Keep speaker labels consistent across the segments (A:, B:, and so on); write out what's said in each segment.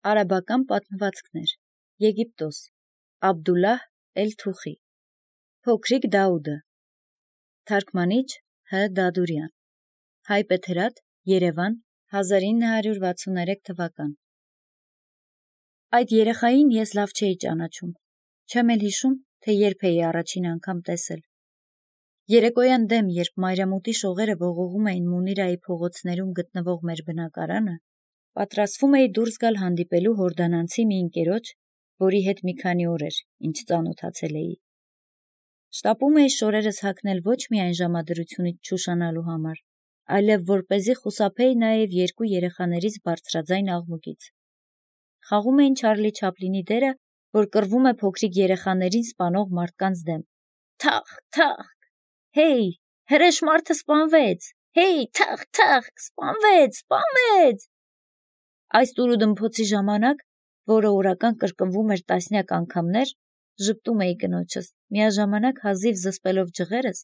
A: Արաբական պատմվածքներ, Եգիպտոս, Աբդուլլահ էլ-Թուխի, Փոքրիկ Դաուդը, Թարգմանիչ Հ. Դադուրյան, Հայբեթերատ, Երևան, 1963 թվական։ Այդ երեխային ես լավ չէի ճանաչում, չեմ էլ հիշում, թե երբ էի առաջին անգամ տեսել։ Երեկոյան դեմ, երբ մայրամուտի շողերը ողողում էին Մունիրայի փողոցներում գտնվող մեր բնակարանը, պատրաստվում էի դուրս գալ հանդիպելու հորդանանցի մի ընկերոջ, որի հետ մի քանի օր էր, ինչ ծանոթացել էի։ Շտապում էի շորերս հագնել ոչ միայն ժամադրությունից չուշանալու համար, այլև որպեսզի խուսափեի նաև երկու երեխաներից բարձրաձայն աղմուկից։ Խաղում էին Չարլի Չապլինի դերը, որ կռվում է փոքրիկ երեխաներին սպանող մարդկանց դեմ։ Թախ, թախ, հեյ, հրեշ մարդը սպանվեց, հեյ, թախ, թախ, սպանվեց։ Այս տուրուդմփոցի ժամանակ, որը օրական կրկնվում էր տասնյակ անգամներ, ժպտում էի կնոջս, միաժամանակ հազիվ զսպելով ջղերս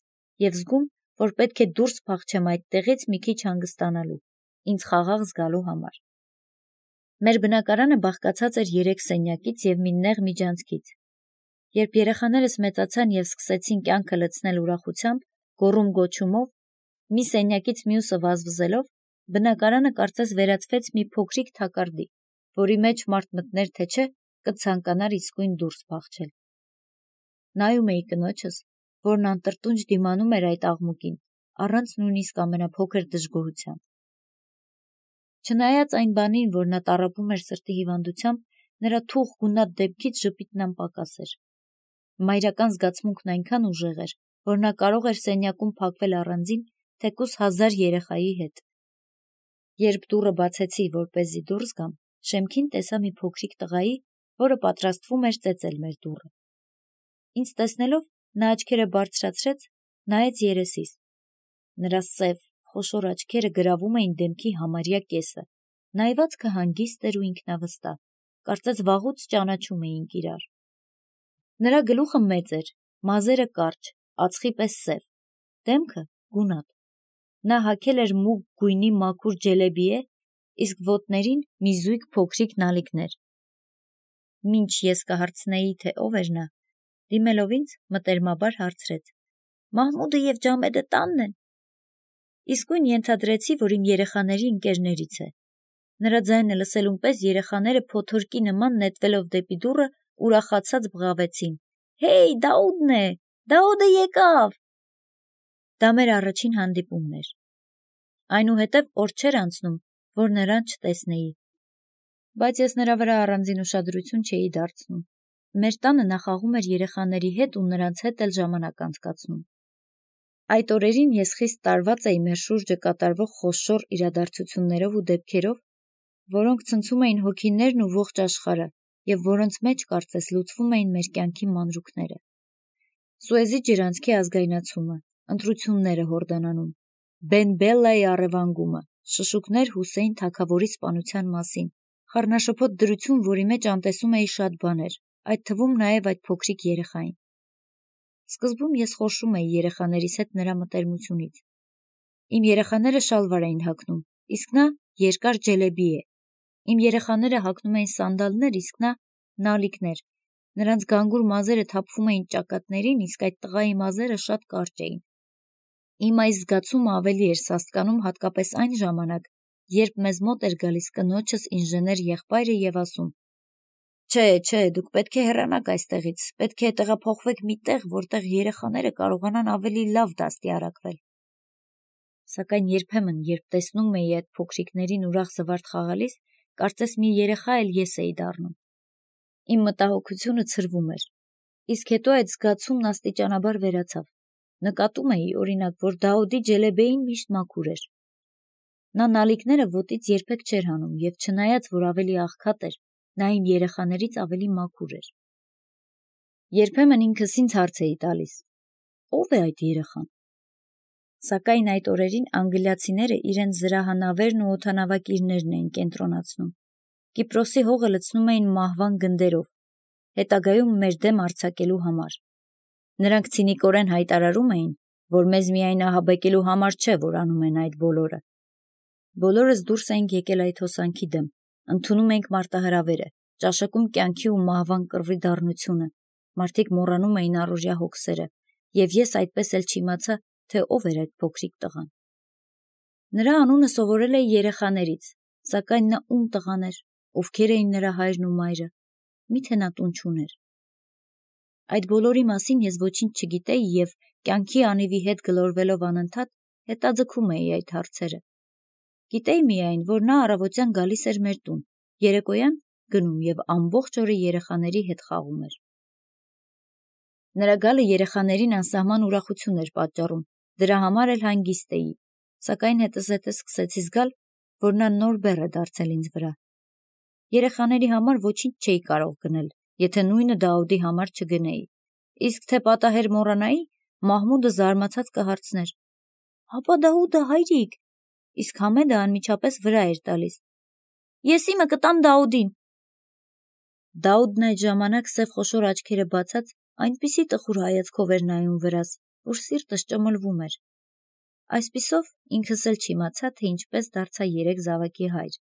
A: և զգում, որ պետք է դուրս փախչեմ այդտեղից մի քիչ հանգստանալու, ինձ խաղաղ զգալու համար։ Մեր բնակարանը բաղկացած էր 3 սենյակից և մի նեղ միջանցքից։ Երբ երեխաներս մեծացան և սկսեցին կյանքը լցնել ուրախությամբ, գոռում-գոչումով, մի սենյակից մյուսը վազվզելով, բնակարանը կարծես վերածվեց մի փոքրիկ թակարդի, որի մեջ մարդ մտներ թե չէ, կցանկանար իսկույն դուրս փախչել։ Նայում էի կնոջս, որն անտրտունջ դիմանում էր այդ աղմուկին, առանց նույնիսկ ամենափոքր դժգոհության։ Չնայած այն բանին, որ նա տառապում էր սրտի հիվանդությամբ, նրա թուխ գունատ դեմքից ժպիտն անպակաս էր։ Մայրական զգացմունքն այնքան ուժեղ էր, որ նա կարող էր սենյակում փակվել առանձին, թեկուզ 1000 երեխայի հետ։ Երբ դուռը բացեցի, որպեսզի դուրս գամ, շեմքին տեսա մի փոքրիկ տղայի, որը պատրաստվում էր ծեծել մեր դուռը։ Ինձ տեսնելով, նա աչքերը բարձրացրեց, նայեց երեսիս։ Նրա սև, խոշոր աչքերը գրավում էին դեմքի համարյա կեսը, նայվածքը հանգիստ էր ու ինքնավստահ, կարծես վաղուց ճանաչում էինք իրար։ Նրա գլուխը մեծ էր, մազերը կարճ, ածխի պես սև, դեմքը գունատ։ Նա հագել էր մուգ գույնի մաքուր ջելեբիե, իսկ ոտներին մի զույգ փոքրիկ նալիկներ։ Մինչ ես կհարցնեի, թե ով էր նա, դիմելով ինձ, մտերմաբար հարցրեց. Մահմուդը և Ջամեդը տանն են։ Իսկույն ենթադրեցի, որ իմ երեխաների ընկերներից է։ Նրա ձայնը լսելուն պես երեխաները փոթորկի նման նետվելով դեպի դուռը ուրախացած բղավեցին. Հեյ, Դաուդն է, Դաուդը եկավ։ Դա մեր առաջին հանդիպումն էր։ Այնուհետև օր չէր անցնում, որ նրան չտեսնեի։ Բայց ես նրա վրա առանձին ուշադրություն չէի դարձնում։ Մեր տանը նա խաղում էր երեխաների հետ ու նրանց հետ էլ ժամանակ անցկացնում։ Այդ օրերին ես խիստ տարված էի մեր շուրջը կատարվող խոշոր իրադարձություններով ու դեպքերով, որոնք ցնցում էին հոգիներն ու ողջ աշխարհը, և որոնց մեջ կարծես լուծվում էին մեր կյանքի մանրուքները։ Սուեզի ջրանցքի ազգայնացումը, ընտրությունները Հորդանանում, Բեն Բելլայի առևանգումը, շշուկներ Հուսեյն թագավորի սպանության մասին, խառնաշփոթ դրություն, որի մեջ անտեսում էի շատ բաներ, այդ թվում նաև այդ փոքրիկ երեխային։ Սկզբում ես խորշում էի երեխաներիս հետ նրա մտերմությունից։ Իմ երեխաները շալվար էին հագնում, իսկ նա երկար ջելեբիե։ Իմ երեխաները հագնում էին սանդալներ, իսկ նա նալիկներ։ Նրանց գանգուր մազերը թափվում էին ճակատներին, իսկ այդ տղայի մազերը շատ կարճ էին։ Իմ այս զգացումը ավելի էր սաստկանում հատկապես այն ժամանակ, երբ մեզ մոտ էր գալիս կնոջս ինժեներ եղբայրը և ասում. Չէ, դուք պետք է հեռանաք այստեղից, պետք է տեղափոխվեք մի տեղ, որտեղ երեխաները կարողանան ավելի լավ դաստիարակվել։ Սակայն երբեմն, երբ տեսնում էի այդ փոքրիկներին ուրախ զվարթ խաղալիս, կարծես մի երեխա էլ ես էի դառնում։ Իմ մտահոգությունը ցրվում էր, իսկ հետո այդ զգացումն աստիճանաբար վերացավ։ Նկատում էի, օրինակ, որ Դաուդի ջելեբեին միշտ մաքուր էր։ Նա նալիկները ոտից երբեք չէր հանում, և չնայած, որ ավելի աղքատ էր, նա իմ երեխաներից ավելի մաքուր էր։ Երբեմն ինքս ինձ հարց էի տալիս. ո՞վ է այդ երեխան։ Սակայն այդ օրերին անգլիացիները իրենց զրահանավերն ու օդանավակիրներն էին կենտրոնացնում։ Կիպրոսի հողը լցնում էին մահվան գնդերով, հետագայում մեր դեմ արձակելու համար։ Նրանք ցինիկորեն հայտարարում էին, որ մեզ միայն ահաբեկելու համար չէ, որ անում են այդ բոլորը։ Բոլորս դուրս էինք եկել այդ հոսանքի դեմ, Ընդունում ենք մարտահրավերը, ճաշակում կյանքի ու մահվան կռվի դառնությունը, մարդիկ մոռանում էին առօրյա հոգսերը, և ես այդպես էլ չիմացա, թե ով էր այդ փոքրիկ տղան։ Նրա անունը սովորել էի երեխաներից, սակայն նա ում տղան էր, ովքեր էին նրա հայրն ու մայրը, միթե նա տուն չուներ։ Այդ բոլորի մասին ես ոչինչ չգիտեի և կյանքի անիվի հետ գլորվելով անընդհատ հետաձգում էի այդ հարցերը։ Գիտեի միայն, որ նա առավոտյան գալիս էր մեր տուն, երեկոյան գնում և ամբողջ օրը երեխաների հետ խաղում էր։ Նրա գալը երեխաներին անսահման ուրախություն էր պատճառում, դրա համար էլ հանգիստ էի, սակայն հետզհետե սկսեցի զգալ, որ նա նոր բեռ է դարձել ինձ վրա։ Երեխաների համար ոչինչ չէի կարող գնել, եթե նույնը Դաուդի համար չգնեի, իսկ թե պատահեր մոռանայի, Մահմուդը զարմացած կհարցներ. «Հապա Դաուդը, հայրիկ», իսկ Համեդը անմիջապես վրա էր տալիս. «Ես իմը կտամ Դաուդին»։ Դաուդն այդ ժամանակ սև խոշոր աչքերը բացած այնպիսի տխուր հայացքով էր նայում վրաս, որ սիրտս ճմլվում էր։ Այսպիսով ինքս էլ չիմացա, թե ինչպես դարձա 3 զավակի հայր,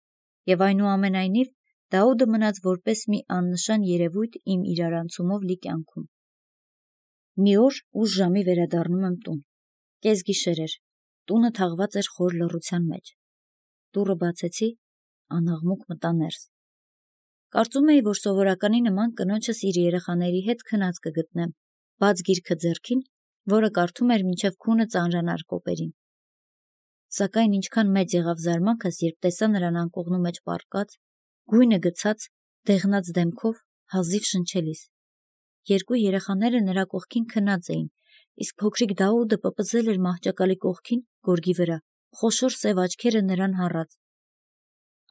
A: և այնուամենայնիվ Դաուդը մնաց որպես մի աննշան երևույթ իմ իրարանցումով լի կյանքում։ Մի օր ուշ ժամի վերադառնում եմ տուն։ Կեսգիշեր էր, տունը թաղված էր խոր լռության մեջ։ Դուռը բացեցի, անաղմուկ մտա ներս։ Կարծում էի, որ սովորականի նման կնոջս իր երեխաների հետ քնած կգտնեմ, բաց գիրքը ձեռքին, որը կարդում էր մինչև քունը ծանրանար կոպերին։ Սակայն ինչքան մեծ եղավ զարմանքս, երբ տեսա նրան անկողնու մեջ պառկած, գույնը գցած, դեղնած դեմքով, հազիվ շնչելիս։ 2 երեխաները նրա կողքին քնած էին, իսկ փոքրիկ Դաուդը պպզել էր մահճակալի կողքին, գորգի վրա, խոշոր սև աչքերը նրան հառած։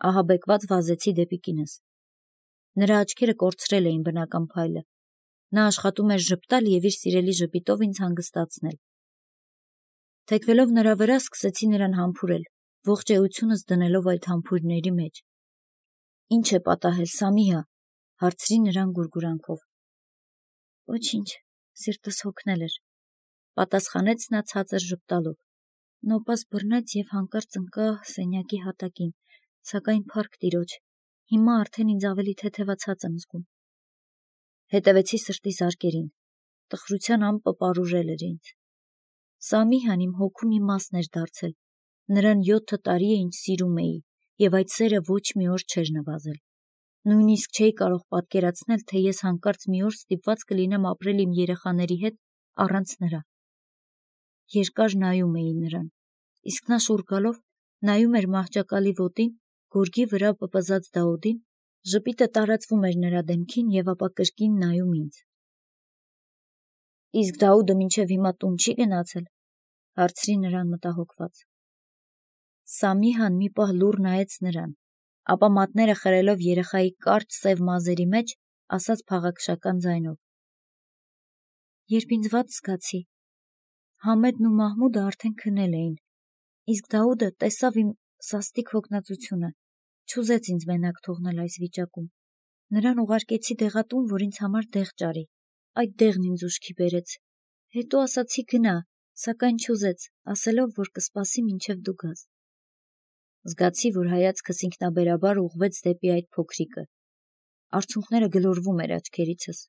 A: Ահաբեկված վազեցի դեպի կինս։ Նրա աչքերը կորցրել էին բնական փայլը։ Նա աշխատում էր ժպտալ և իր սիրելի ժպիտով ինձ հանգստացնել։ Թեքվելով նրա վրա, սկսեցի նրան համբուրել, ողջ էությունս դնելով այդ համբույրների մեջ։ «Ինչ է պատահել, Սամիհա», հարցրի նրան գուրգուրանքով։ «Ոչինչ, սիրտս հոգնել էր», պատասխանեց նա ցածր ժպտալով։ Նոպաս բռնեց և հանկարծ ընկա սենյակի հատակին, սակայն փառք Տիրոջ, հիմա արդեն ինձ ավելի թեթևացած եմ զգում։ Հետևեցի սրտի զարկերին, տխրության ամպը պարուրել էր ինձ։ Սամիհան իմ հոգու մի մասն էր դարձել, նրան 7 տարի է ինչ սիրում էի, և այդ սերը ոչ մի օր չէր նվազել։ Նույնիսկ չէի կարող պատկերացնել, թե ես հանկարծ մի օր ստիպված կլինեմ ապրել իմ երեխաների հետ առանց նրա։ Երկար նայում էի նրան, իսկ նա շուռ գալով նայում էր մահճակալի ոտին, գորգի վրա պպզած Դաուդին, ժպիտը տարածվում էր նրա դեմքին և ապա կրկին նայում ինձ։ «Իսկ Դաուդը մինչև հիմա տուն չի գնացել», հարցրի նրան մտահոգված։ Սամիհան մի պահ լուռ նայեց նրան, ապա մատները խրելով երեխայի կարճ սև մազերի մեջ, ասաց փաղաքշական ձայնով. «Երբ ինձ վատ զգացի, Համեդն ու Մահմուդը արդեն քնել էին, իսկ Դաուդը տեսավ իմ սաստիկ հոգնածությունը, չուզեց ինձ մենակ թողնել այս վիճակում։ Նրան ուղարկեցի դեղատուն, որ ինձ համար դեղ ճարի, այդ դեղն ինձ ուշքի բերեց, հետո ասացի գնա, սակայն չուզեց, ասելով, որ կսպասի մինչև դու գաս»։ Զգացի, որ հայացքս ինքնաբերաբար ուղղվեց դեպի այդ փոքրիկը։ Արցունքները գլորվում էր աչքերիցս։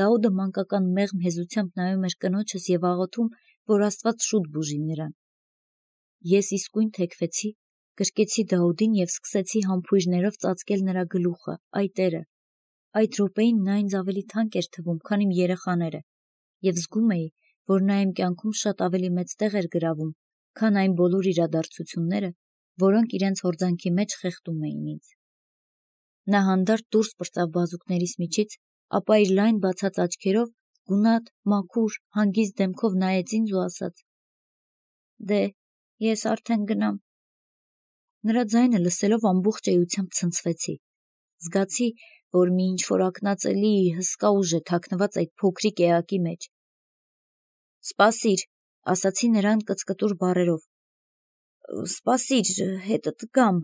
A: Դաուդը մանկական մեղմ հեզությամբ նայում էր կնոջս և աղոթում, որ Աստված շուտ բուժի նրան։ Ես իսկույն թեքվեցի, գրկեցի Դաուդին և սկսեցի համբույրներով ծածկել նրա գլուխը, այ տերը։ Այդ րոպեին նա ինձ ավելի թանկ էր թվում, քան իմ երեխաները, և զգում էի, որ նա իմ կյանքում շատ ավելի մեծ տեղ էր գրավում, քան այն բոլոր իրադարձությունները, որոնք իրենց հորձանքի մեջ խեղդում էին ինձ։ Նա հանդարտ դուրս պրծավ բազուկներիս միջից, ապա իր լայն բացած աչքերով, գունատ, մաքուր, հանգիստ դեմքով նայեց ինձ ու ասաց. «Դե, ես արդեն գնամ»։ Նրա ձայնը լսելով ամբողջ էությամբ ցնցվեցի։ Զգացի, որ մի ինչ-որ ակնածելի, հսկա ուժ է թաքնված այդ փոքրիկ էակի մեջ։ «Սպասիր», ասացի նրան կծկտուր բառերով։ «Սպասիր, հետդ կգամ,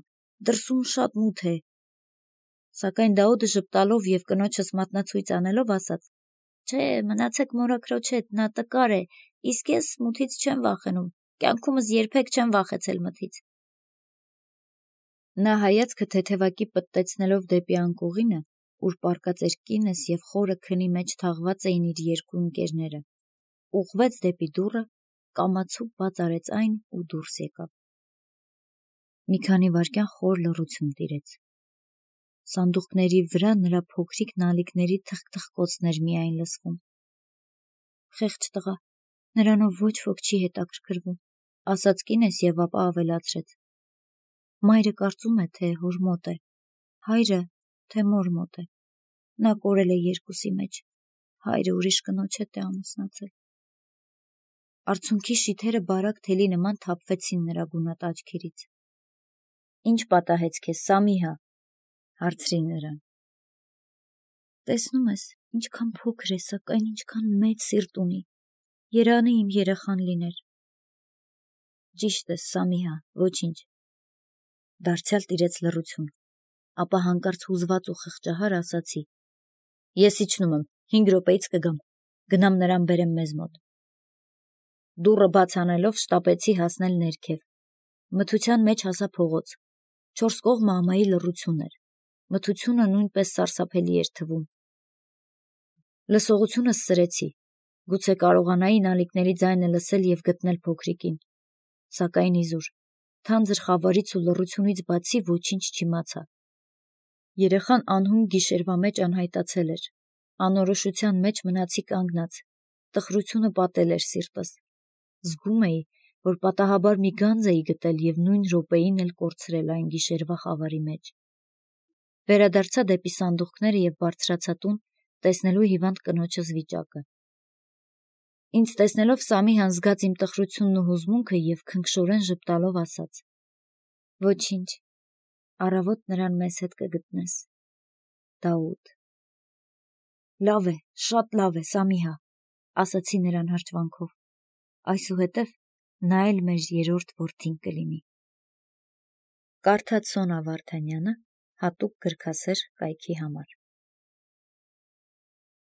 A: դրսում շատ մութ է»։ Սակայն Դաուդը ժպտալով և կնոջս մատնացույց անելով ասաց. «Չէ, մնացեք մորաքրոջ հետ, նա տկար է, իսկ ես մութից չեմ վախենում, կյանքումս երբեք չեմ վախեցել մթից»։ Նա հայացքը թեթևակի պտտեցնելով դեպի անկողինը, ուր պառկած էր կինս և խորը քնի մեջ թաղված էին իր երկու ընկերները, ուղղվեց դեպի դուռը, կամացուկ բաց արեց այն ու դուրս եկավ։ Մի քանի վայրկյան խոր լռություն տիրեց։ Սանդուղքների վրա նրա փոքրիկ նալիքների թխկթխկոցներ միայն լսվում։ Խեղճ տղա, նրանով ոչ ոք չի հետաքրքրվում, ասաց կինս և ապա ավելացրեց. Մայրը կարծում է, թե հոր մոտ է, հայրը, թե մոր մոտ է։ Նա կորել է երկուսի մեջ, հայրը ուրիշ կնոջ հետ է ամուսնացել։ Արցունքի շիթերը բարակ թելի նման թափվեցին նրա գունատ աչքերից։ Ինչ պատահեց քեզ, Սամիհա, հարցրին նրան։ Տեսնում ես, ինչքան փոքր է, սակայն ինչքան մեծ սիրտ ունի, երանի իմ երեխան լիներ։ Ճիշտ ես, Սամիհա, ոչինչ։ Դարձյալ տիրեց լռություն, ապա հանկարծ հուզված ու խղճահար ասացի. Ես իջնում եմ, 5 րոպեից կգամ, գնամ նրան բերեմ մեզ մոտ։ Դուռը բաց անելով շտապեցի հասնել ներքև։ Մթության մեջ հասա փողոց։ 4 կողմը ամայի լռություն էր։ Մթությունը նույնպես սարսափելի էր թվում։ Լսողությունս սրեցի, գուցե կարողանայի նալիքների ձայնը լսել և գտնել փոքրիկին, սակայն իզուր, թանձր խավարից ու լռությունից բացի ոչինչ չիմացա։ Երեխան անհուն գիշերվա մեջ անհայտացել էր, անորոշության մեջ մնացի կանգնած, տխրությունը պատել էր սիրտս։ Զգում էի, որ պատահաբար մի գանձ էի գտել և նույն րոպեին էլ կորցրել այն գիշերվա խավարի մեջ։ Վերադարձա դեպի սանդուղքները և բարձրացա տուն, տեսնելու հիվանդ կնոջս վիճակը։ Ինձ տեսնելով Սամիհան զգաց իմ տխրությունն ու հուզմունքը և քնքշորեն ժպտալով ասաց. Ոչինչ, առավոտ նրան մեզ հետ կգտնես, Դաուդ։ Լավ է, շատ լավ է, Սամիհա, ասացի նրան հրճվանքով, այսուհետև նա էլ մեր երրորդ որդին կլինի։ Կարդաց Սոնա Վարդանյանը հատուկ գրքասեր կայքի համար։